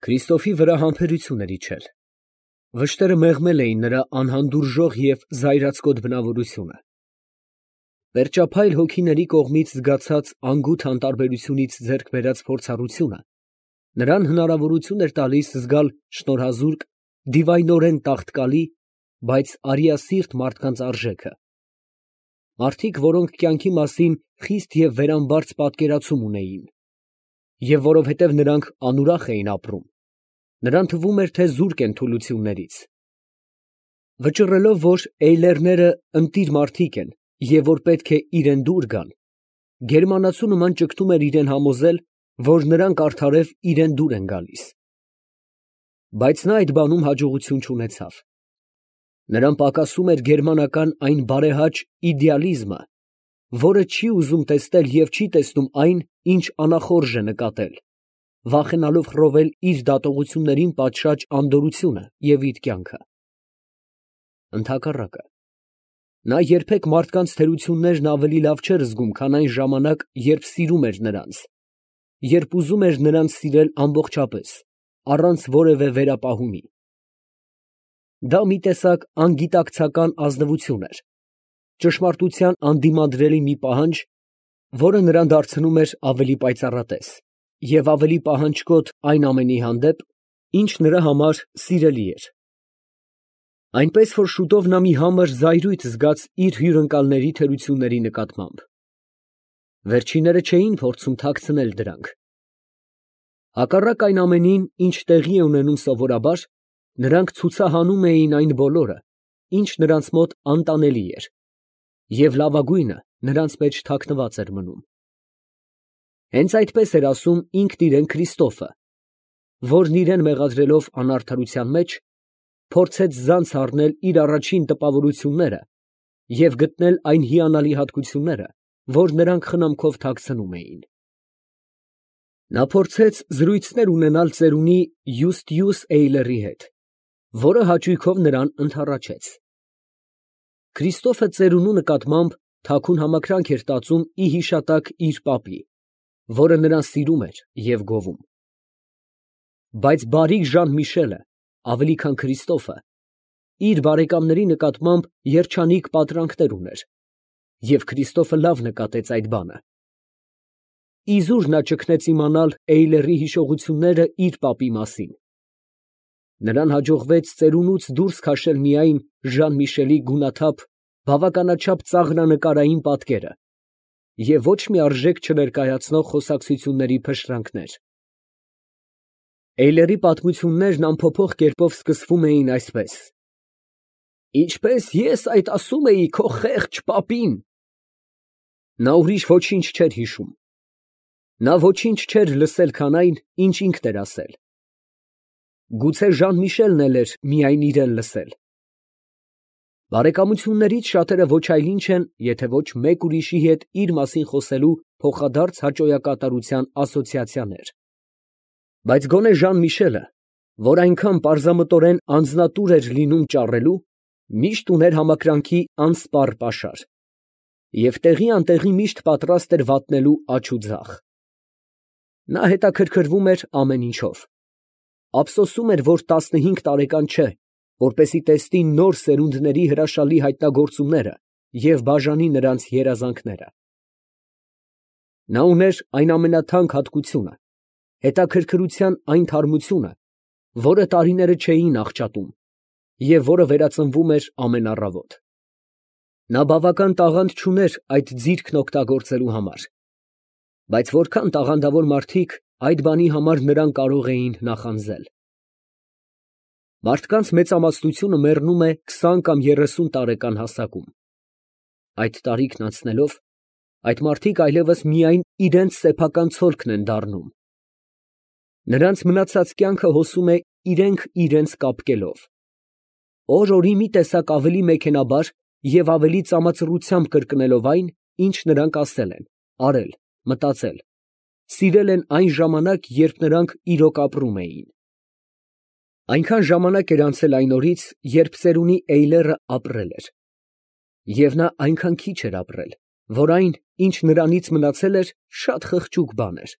Քրիստոֆի վրա համբերություն էր իջել։ Վշտերը մեղմել էին նրա անհանդուրժող և զայրացկոտ բնավորությունը։ Վերջափայլ հոգիների կողմից զգացած անգութ անտարբերությունից ձեռք բերած փորձառությունը նրան հնարավորություն էր տալիս զգալ շնորհազուրկ, դիվայնորեն տաղտկալի, բայց արիասիրտ մարդկանց արժեքը, մարդիկ, որոնք կյանքի մասին խիստ և վերամբարձ պատկերացում ունեին, և որովհետև նրանք անուրախ էին ապրում, նրան թվում էր, թե զուրկ են թուլություններից։ Վճռելով, որ էյլերները ընտիր մարդիկ են և որ պետք է իրան դուր գան, գերմանացու նման ճգտում էր իրան համոզել, որ նրանք արդարև իրան դուր են գալիս։ Բայց նա այդ բանում հաջողություն չունեցավ։ Նրան պակասում էր գերմանական այն բարեհաճ իդեալիզմը, որը չի ուզում տեսնել և չի տեսնում այն, ինչ անախորժ է նկատել, վախենալով խռովել իր դատողություններին պատշաճ անդորրությունը և իր կյանքը։ Ընդհակառակը, նա երբեք մարդկանց թերություններն ավելի լավ չէր զգում, քան այն ժամանակ, երբ սիրում էր նրանց, երբ ուզում էր նրանց սիրել ամբողջապես, առանց որևէ վերապահումի։ Դա մի տեսակ անգիտակցական ազնվություն էր, ճշմարտության անդիմադրելի մի պահանջ, որը նրան դարձնում էր ավելի պայծառատես և ավելի պահանջկոտ այն ամենի հանդեպ, ինչ նրա համար սիրելի էր։ Այնպես որ շուտով նա մի համր զայրույթ զգաց իր հյուրընկալների թերությունների նկատմամբ։ Վերջինները չէին փորձում թաքցնել դրանք։ Հակառակ այն ամենին, ինչ տեղի է ունենում սովորաբար, նրանք ցուցահանում էին այն բոլորը, ինչ նրանց մոտ անտանելի էր, և լավագույնը նրանց մեջ թաքնված էր մնում։ Հենց այդպես էր ասում ինքն իրեն Քրիստոֆը, որն իրան մեղադրելով անարդարության մեջ, փորձեց ձանձ առնել իր առաջին տպավորությունները և գտնել այն հիանալի հատկությունները, որ նրանք խնամքով թաքցնում էին։ Նա փորձեց զրույցներ ունենալ ծերունի Յուստիուս Էյլերի հետ, որը հաճույքով նրան ընդառաջեց։ Քրիստոֆը ծերունու նկատմամբ թաքուն համակրանք էր տածում ի հիշատակ իր պապի, որը նրան սիրում էր և գովում։ Բայց բարիք Ժան Միշելը, ավելի քան Քրիստոֆը, իր բարեկամների նկատմամբ երջանիկ պատրանքներ ուներ, և Քրիստոֆը լավ նկատեց այդ բանը։ Իզուր նա ճգնեց իմանալ Էյլերի հիշողությունները իր պապի մասին։ Նրան հաջողվեց ծերունուց դուրս քաշել միայն Ժան Միշելի գունաթափ, բավականաչափ ծաղրանկարային պատկերը և ոչ մի արժեք չներկայացնող խոսակցությունների փշրանքներ։ Էյլերի պատմություններն անփոփոխ կերպով սկսվում էին այսպես. «Ինչպես ես այդ ասում էի քո խեղճ պապին»։ Նա ուրիշ ոչինչ չէր հիշում։ Նա ոչինչ չէր լսել, քան այն, ինչ ինքն էր ասել։ Գուցե Ժան Միշելն էլ էր միայն իրան լսել։ Բարեկամություններից շատերը ոչ այլ ինչ են, եթե ոչ մեկ ուրիշի հետ իր մասին խոսելու փոխադարձ հաճոյակատարության ասոցիացիաներ։ Բայց գոնե Ժան Միշելը, որ այնքան պարզամտորեն անձնատուր էր լինում ճառելու, միշտ ուներ համակրանքի անսպառ պաշար և տեղի անտեղի միշտ պատրաստ էր վատնելու աջ ու ձախ։ Նա հետաքրքրվում էր ամեն ինչով։ Ափսոսում էր, որ 15 տարեկան չէ, որպեսզի տեսնի նոր սերունդների հրաշալի հայտնագործումները և բաժանի նրանց երազանքները։ Նա ուներ այն ամենաթանկ հատկությունը, հետաքրքրության այն թարմությունը, որը տարիները չէին աղճատում և որը վերածնվում էր ամեն առավոտ։ Նա բավական տաղանդ չուներ այդ ձիրքն օգտագործելու համար, բայց որքան տաղանդավոր մարդիկ այդ բանի համար նրան կարող էին նախանձել։ Մարդկանց մեծամասնությունը մեռնում է 20 կամ 30 տարեկան հասակում։ Այդ տարիքն անցնելով, այդ մարդիկ այլևս միայն իրենց սեփական ցոլքն են դառնում։ Նրանց մնացած կյանքը հոսում է իրենք իրենց կապկելով։ Օր֊օրի մի տեսակ ավելի մեքենաբար և ավելի ծամածռությամբ կրկնելով այն, ինչ նրանք ասել են, արել, մտածել, սիրել են այն ժամանակ, երբ նրանք իրոք ապրում էին։ Այնքան ժամանակ էր անցել այն օրից, երբ ծերունի Էյլերը ապրել էր, և նա այնքան քիչ էր ապրել, որ այն, ինչ նրանից մնացել էր, շատ խղճուկ բան էր։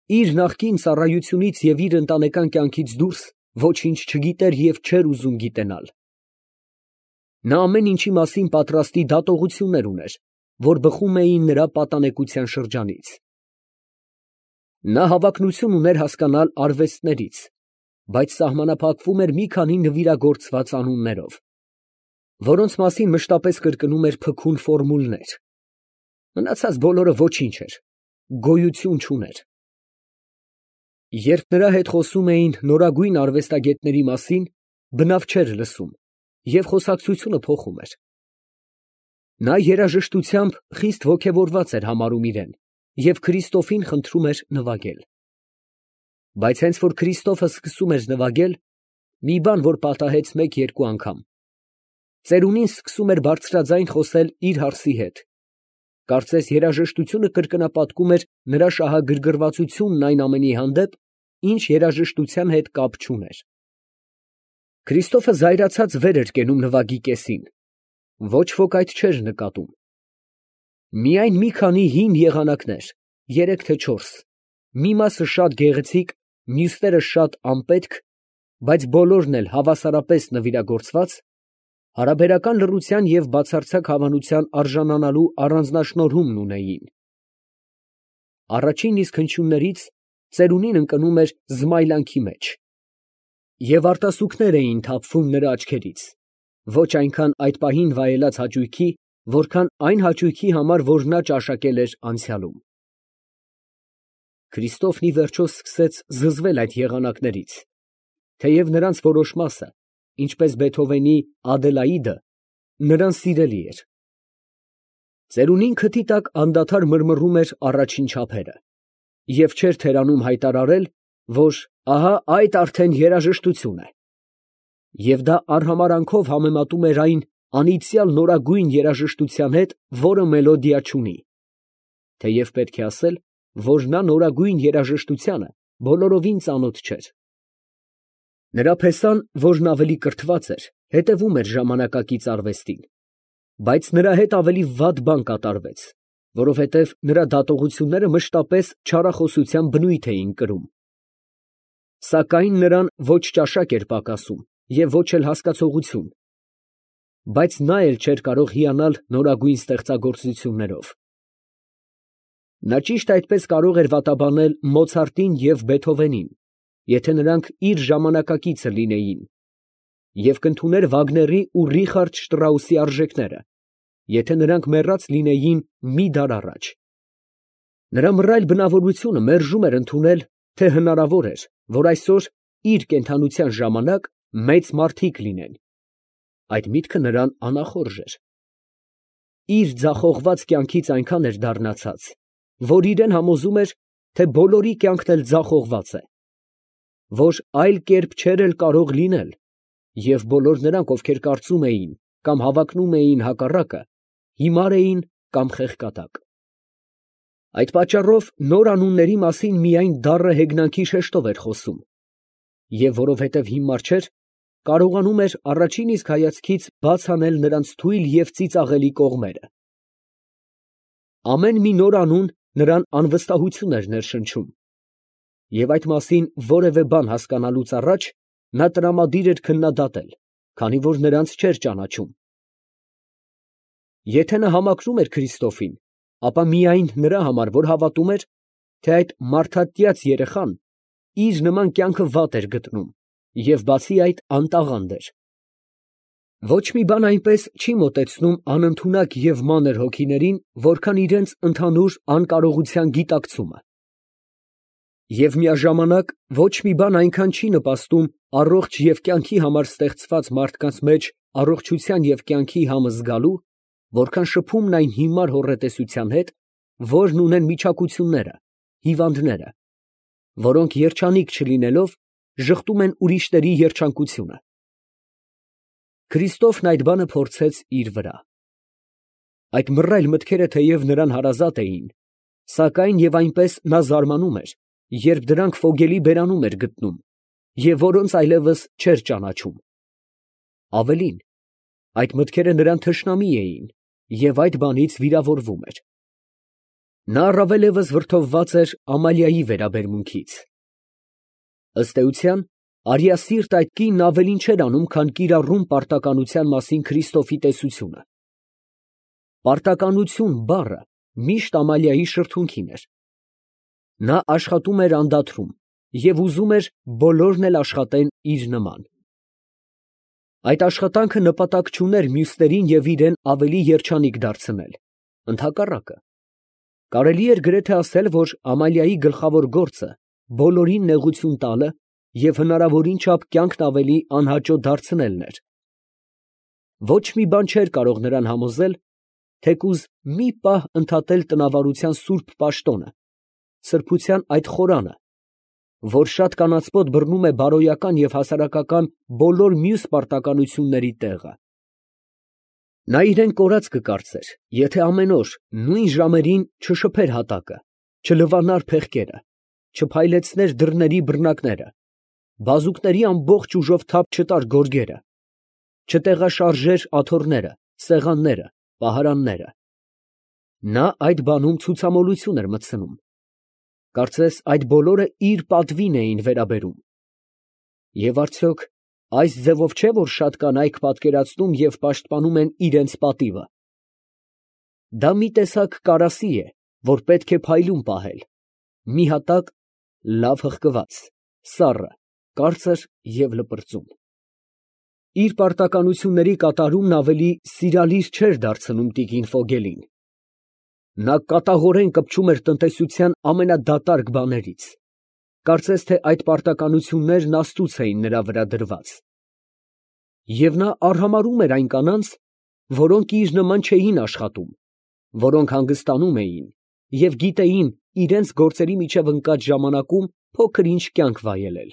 իր նախկին ծառայությունից և իր ընտանեկան կյանքից դուրս ոչինչ չգիտեր և չէր ուզում գիտենալ։ Նա ամեն ինչի մասին պատրաստի դատողություններ ուներ, որ բխում էին նրա պատանեկության շրջանից։ Նա հավակնություն ուներ հասկանալ արվեստներից, բայց սահմանափակվում էր մի քանի նվիրագործված անուններով, որոնց մասին մշտապես կրկնում էր փքուն ֆորմուլներ։ Մնացած բոլորը ոչինչ էր, գոյություն չուներ։ Երբ նրա հետ խոսում էին նորագույն արվեստագետների մասին, բնավ չէր լսում և խոսակցությունը փոխում էր։ Նա երաժշտությամբ խիստ ոգևորված էր համարում իրեն և Քրիստոֆին խնդրում էր նվագել։ Բայց հենց որ Քրիստոֆը սկսում էր նվագել, մի բան, որ պատահեց մեկ֊երկու անգամ, ծերունին սկսում էր բարձրաձայն խոսել իր հարսի հետ։ Կարծես երաժշտությունը կրկնապատկում էր նրա շահագրգռվածությունն այն ամենի հանդեպ, ինչ երաժշտության հետ կապ չուներ։ Քրիստոֆը զայրացած վեր էր կենում նվագի կեսին։ Ոչ ոք այդ չէր նկատում։ Միայն մի քանի հին եղանակներ, 3 թե 4, մի մասը շատ գեղեցիկ, մյուսները շատ անպետք, բայց բոլորն էլ հավասարապես նվիրագործված, հարաբերական լռության և բացարձակ հավանության արժանանալու առանձնաշնորհումն ունեին։ Առաջին իսկ հնչյուններից ծերունին ընկնում էր զմայլանքի մեջ, և արտասուքներ էին թափվում նրա աչքերից, ոչ այնքան այդ պահին վայելած հաճույքի, որքան այն հաճույքի համար, որ նա ճաշակել էր անցյալում։ Քրիստոֆն ի վերջո սկսեց զզվել այդ եղանակներից, թեև նրանց որոշ մասը, ինչպես Բեթհովենի «Ադելաիդը», նրան սիրելի էր։ Ծերունին քթի տակ անդադար մռմռում էր առաջին չափերը և չէր թերանում հայտարարել, որ ահա այդ արդեն երաժշտություն է, և դա արհամարհանքով համեմատում էր այն անիծյալ նորագույն երաժշտության հետ, որը մելոդիա չունի, թեև պետք է ասել, որ նա նորագույն երաժշտությանը բոլորովին ծանոթ չէր։ Նրա փեսան, որն ավելի կրթված էր, հետևում էր ժամանակակից արվեստին, բայց նրա հետ ավելի վատ բան կատարվեց, որովհետև նրա դատողությունները մշտապես չարախոսության բնույթ էին կրում։ Սակայն նրան ոչ ճաշակ էր պակասում և ոչ էլ հասկացողություն, բայց նա էլ չէր կարող հիանալ նորագույն ստեղծագործություններով։ Նա ճիշտ այդպես կարող էր վատաբանել Մոցարտին և Բեթհովենին, եթե նրանք իր ժամանակակիցը լինեին, և կընդուներ Վագների ու Ռիխարդ Շտրաուսի արժեքները, եթե նրանք մեռած լինեին մի դար առաջ։ Նրա մռայլ բնավորությունը մերժում էր ընդունել, թե հնարավոր էր, որ այսօր իր կենդանության ժամանակ մեծ մարդիկ լինեն։ Այդ միտքը նրան անախորժ էր։ Իր ձախողված կյանքից այնքան էր դառնացած, որ իրեն համոզում էր, թե բոլորի կյանքն էլ ձախողված է, որ այլ կերպ չէր էլ կարող լինել, և բոլոր նրանք, ովքեր կարծում էին կամ հավակնում էին հակառակը, հիմար էին կամ խեղկատակ։ Այդ պատճառով նոր անունների մասին միայն դառը հեգնանքի շեշտով էր խոսում, և որովհետև հիմար չէր, կարողանում էր առաջին իսկ հայացքից բաց անել նրանց թույլ և ծիծաղելի կողմերը։ Ամեն մի նոր անուն նրան անվստահություն էր ներշնչում, և այդ մասին որևէ բան հասկանալուց առաջ նա տրամադիր էր քննադատել, քանի որ նրանց չէր ճանաչում։ Եթե նա համակրում էր Քրիստոֆին, ապա միայն նրա համար, որ հավատում էր, թե այդ մարդատյաց երեխան իր նման կյանքը վատ էր գտնում և բացի այդ անտաղանդ էր։ Ոչ մի բան այնպես չի մոտեցնում անընդունակ և մանր հոգիներին, որքան իրենց ընդհանուր անկարողության գիտակցումը։ Եվ միաժամանակ ոչ մի բան այնքան չի նպաստում առողջ և կյանքի համար ստեղծված մարդկանց մեջ առողջության և կյանքի համը զգալու, որքան շփումն այն հիմար հոռետեսության հետ, որն ունեն միջակությունները, հիվանդները, որոնք երջանիկ չլինելով, ժխտում են ուրիշների երջանկությունը։ Քրիստոֆն այդ բանը փորձեց իր վրա։ Այդ մռայլ մտքերը թեև նրան հարազատ էին, սակայն և այնպես նա զարմանում էր, երբ դրանք ֆոգելի բերանում էր գտնում, և որոնց այլևս չէր ճանաչում։ Ավելին, այդ մտքերը նրան թշնամի էին և այդ բանից վիրավորվում էր։ Նա առավել ևս վրդովված էր Ամալիայի վերաբերմունքից։ Ըստ էության, արիասիրտ այդ կինն ավելին չէր անում, քան կիրառում պարտականության մասին Քրիստոֆի տեսությունը։ Պարտականություն բառը միշտ Ամալիայի շրթունքին էր։ Նա աշխատում էր անդադրում և ուզում էր բոլորն էլ աշխատեն իր նման։ Այդ աշխատանքը նպատակ չուներ մյուսներին և իրեն ավելի երջանիկ դարձնել, ընդհակառակը, կարելի էր գրեթե ասել, որ Ամալիայի գլխավոր գործը բոլորին նեղություն տալը և հնարավորին չափ կյանքն ավելի անհաճո դարձնելն էր։ Ոչ մի բան չէր կարող նրան համոզել, թեկուզ մի պահ ընդհատել տնավարության սուրբ պաշտոնը, սրբության այդ խորանը, որ շատ կանացպոտ բռնում է բարոյական և հասարակական բոլոր մյուս պարտականությունների տեղը։ Նա իրեն կորած կկարծեր, եթե ամեն օր նույն ժամերին չշփեր հատակը, չլվանար փեղկերը, չփայլեցներ դռների բռնակները, բազուկների ամբողջ ուժով թափ չտար գորգերը, չտեղաշարժեր աթոռները, սեղանները, պահարանները։ Նա այդ բանում ցուցամոլություն էր մտցնում։ Կարծես այդ բոլորը իր պատվին էին վերաբերում։ Եվ արդյոք այս ձևով չէ, որ շատ կանայք պատկերացնում և պաշտպանում են իրենց պատիվը։ Դա մի տեսակ կարասի է, որ պետք է փայլուն պահել, մի հատակ լավ հղկված, սառը, կարծր և լպրծուն։ Իր պարտականությունների կատարումն ավելի սիրալիր չէր դարձնում տիկին Ֆոգելին։ Նա կատաղորեն կպչում էր տնտեսության ամենադատարկ բաներից, կարծես թե այդ պարտականություններն աստծուց էին նրա վրա դրված։ Եվ նա արհամարհում էր այն կանանց, որոնք իր նման չէին աշխատում, որոնք հանգստանում էին և գիտեին իրենց գործերի միջև ընկած ժամանակում փոքր֊ինչ կյանք վայելել։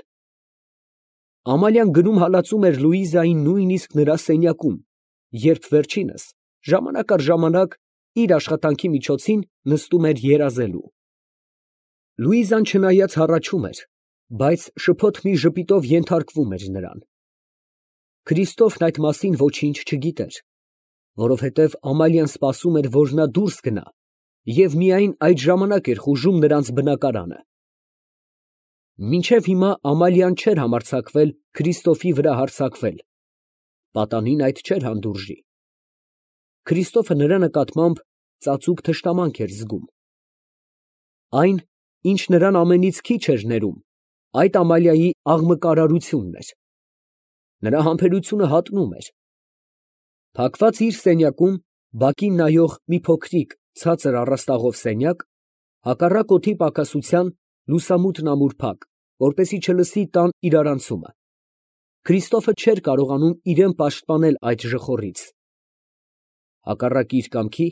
Ամալիան գնում հալածում էր Լուիզային նույնիսկ նրա սենյակում, երբ վերջինս ժամանակ առ ժամանակ իր աշխատանքի միջոցին նստում էր երազելու։ Լուիզան չնայած հառաչում էր, բայց շփոթ մի ժպիտով ենթարկվում էր նրան։ Քրիստոֆն այդ մասին ոչինչ չգիտեր, որովհետև Ամալիան սպասում էր, որ նա դուրս գնա և միայն այդ ժամանակ էր խուժում նրանց բնակարանը։ Մինչև հիմա Ամալիան չէր համարձակվել Քրիստոֆի վրա հարձակվել, պատանին այդ չէր հանդուրժի։ Քրիստոֆը նրա նկատմամբ ծածուկ թշնամանք էր զգում։ Այն, ինչ նրան ամենից քիչ էր ներում, այդ Ամալիայի աղմկարարությունն էր։ Նրա համբերությունը հատնում էր։ Փակված իր սենյակում բակին նայող մի փոքրիկ ցածր առաստաղով սենյակ, հակառակ օդի պակասության լուսամուտն ամուր փակ, որպեսզի չլսի տան իրարանցումը, Քրիստոֆը չէր կարողանում իրեն պաշտպանել այդ ժխորից։ Հակառակ իր կամքի,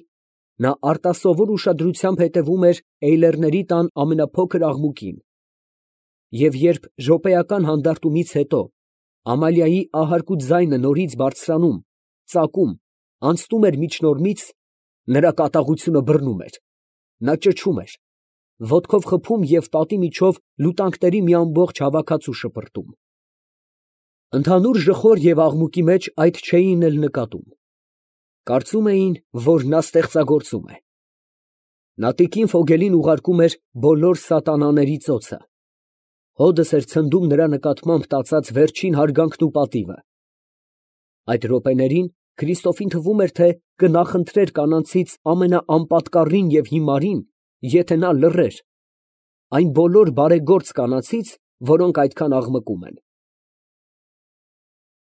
նա արտասովոր ուշադրությամբ հետևում էր Էյլերների տան ամենափոքր աղմուկին, և երբ րոպեական հանդարտումից հետո Ամալիայի ահարկու ձայնը նորից բարձրանում, ծակում, անցնում էր միջնորմից, նրա կատաղությունը բռնում էր, նա ճչում էր, ոտքով խփում և պատի միջով լուտանքների մի ամբողջ հավաքածու շպրտում։ Ընդհանուր ժխոր և աղմուկի մեջ այդ չէին էլ նկատում։ Կարծում էին, որ նա ստեղծագործում է։ Նա տիկին Ֆոգելին ուղարկում էր բոլոր սատանաների ծոցը։ Հոդս էր ցնդում նրա նկատմամբ տածած վերջին հարգանքն ու պատիվը։ Այդ րոպեներին Քրիստոֆին թվում էր, թե կնախընտրեր կանանցից ամենաանպատկառին և հիմարին, եթե նա լռեր, այն բոլոր բարեգործ կանանցից, որոնք այդքան աղմկում են։